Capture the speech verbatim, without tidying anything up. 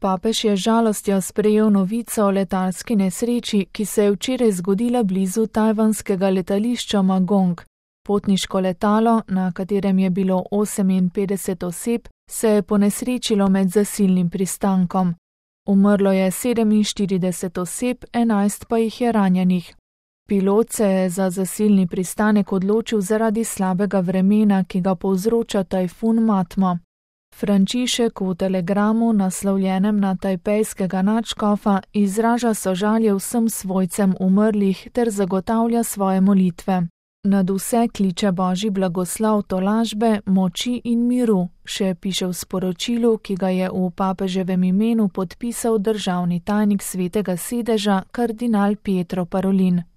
Papež je žalostjo sprejel novico o letalski nesreči, ki se je včeraj zgodila blizu tajvanskega letališča Magong. Potniško letalo, na katerem je bilo oseminpetdeset oseb, se je ponesrečilo med zasilnim pristankom. Umrlo je sedeminštirideset oseb, enajst pa jih je ranjenih. Pilot se je za zasilni pristanek odločil zaradi slabega vremena, ki ga povzroča tajfun Matma. Frančišek v telegramu, naslovljenem na tajpejskega nadškofa, izraža sožalje vsem svojcem umrlih ter zagotavlja svoje molitve. Nad vse kliče Božji blagoslov, tolažbe, moči in miru, še piše v sporočilu, ki ga je v papeževem imenu podpisal državni tajnik Svetega sedeža kardinal Pietro Parolin.